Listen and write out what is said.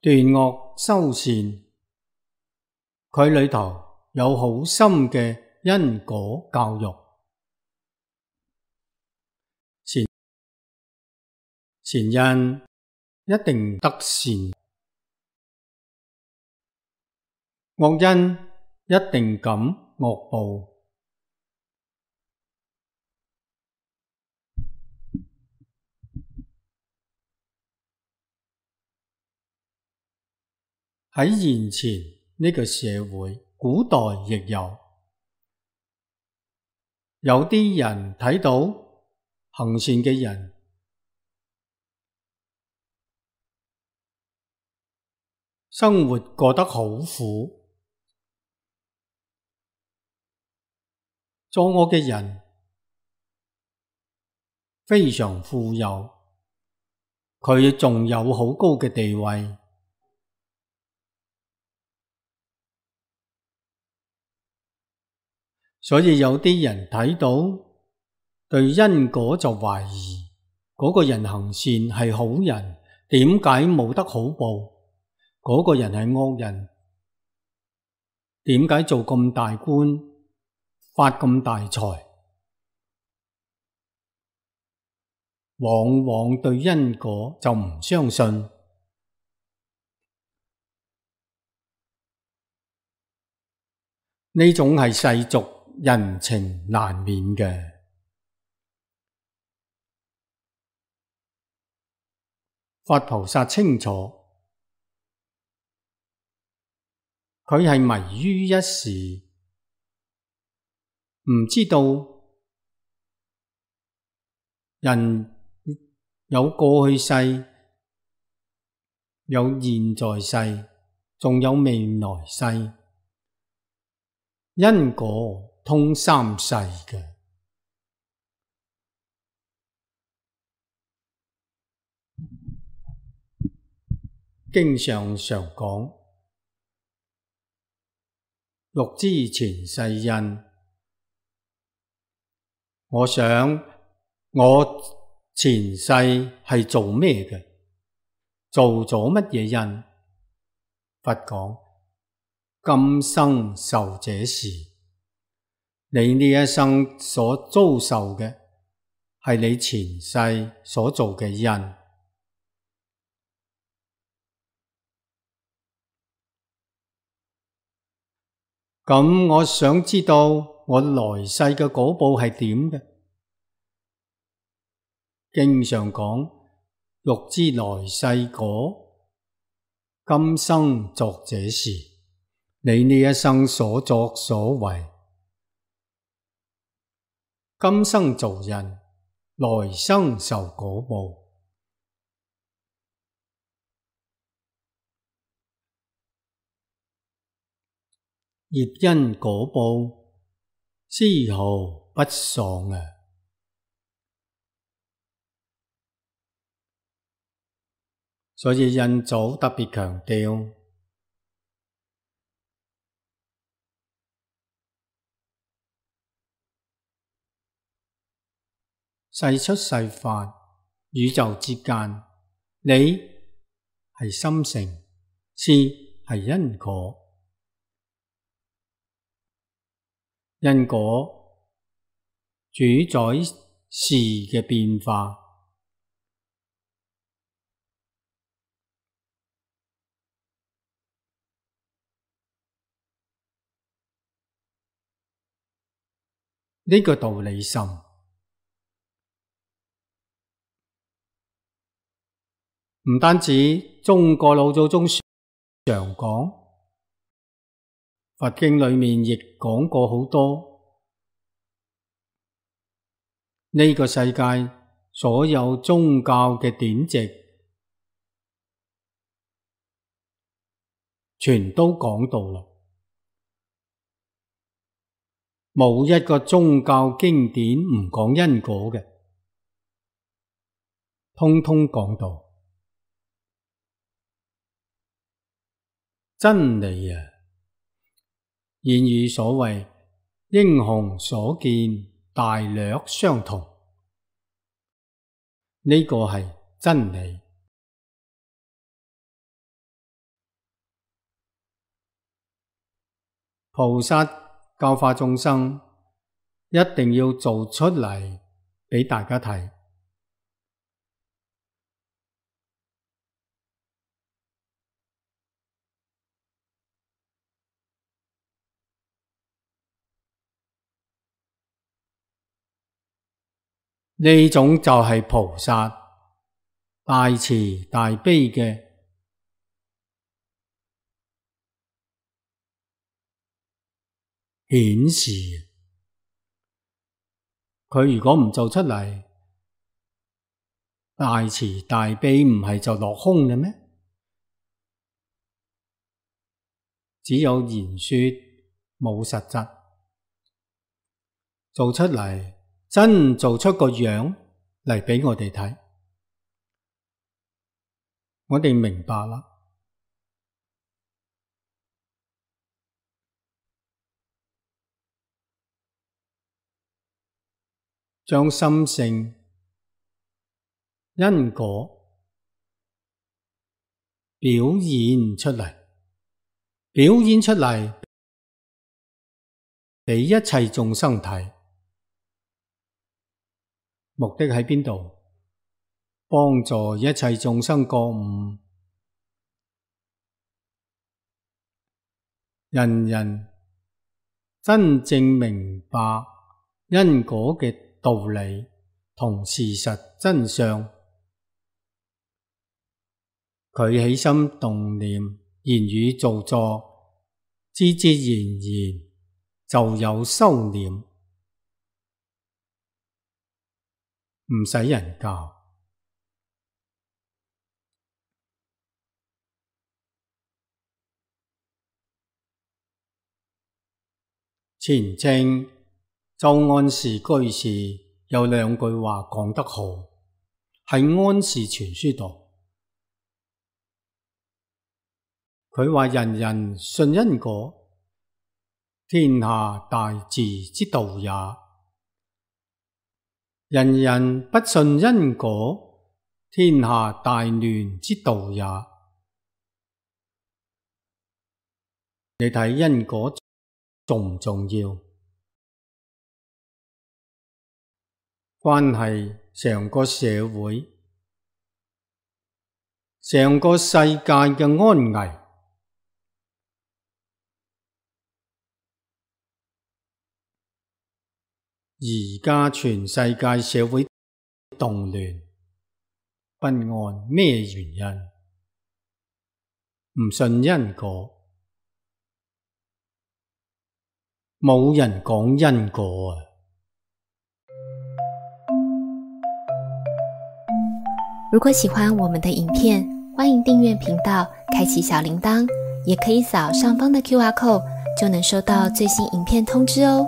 斷惡修善，佢裏頭有好深嘅因果教育。善因一定得善，惡因一定感惡報。喺現前呢個社會，古代亦有啲人睇到行善嘅人生活過得好苦，作惡嘅人非常富有，佢仲有好高嘅地位。所以有啲人睇到對因果就懷疑，嗰個人行善係好人，點解冇得好報？嗰個人係惡人，點解做咁大官，發咁大財？往往對因果就唔相信。呢種係世俗人情難免嘅。佛菩薩清楚，佢係迷於一時，唔知道人有過去世，有現在世，仲有未來世，因果通三世嘅。經上常講，欲知前世因。我想我前世係做咩嘅？做咗乜嘢因？佛講，今生受這事。你呢一生所遭受嘅係你前世所做嘅因。咁我想知道我來世嘅果報係點嘅？經上講，欲知來世果，今生作這事。你呢一生所作所為，今生做人，來生受果報。業因果報，絲毫不爽啊！所以印祖特別強調，世出世法，宇宙之間，理係心性，事係因果。因果主宰事嘅變化，呢個道理深，唔單止中國老祖宗常講，佛經裏面亦講過好多。呢個世界所有宗教嘅典籍，全都講到啦，冇一個宗教經典唔講因果嘅，通通講到真理啊！諺語所謂英雄所見大略相同，呢個係真理。菩薩教化眾生，一定要做出嚟俾大家睇。呢種就係菩薩大慈大悲嘅顯示。佢如果唔做出嚟，大慈大悲唔係就落空嘅咩？只有言說冇實質，做出嚟真做出個樣嚟俾我哋睇，我哋明白啦。將心性、因果表現出嚟，俾一切眾生睇。目的喺邊度？幫助一切眾生覺悟，人人真正明白因果嘅道理同事實真相。佢起心動念、言語造作，自自然然就有修念，唔使人教。前清周安時居士有兩句話講得好，喺安氏全書度，佢話人人信因果，天下大治之道也；人人不信因果，天下大亂之道也。你睇因果重唔重要？關係成個社會、成個世界嘅安危。而家全世界社會動亂不安，咩原因？唔信因果，冇人講因果啊！如果喜歡我們的影片，歡迎訂閱頻道，開啟小鈴鐺，也可以掃上方的QR code，就能收到最新影片通知哦。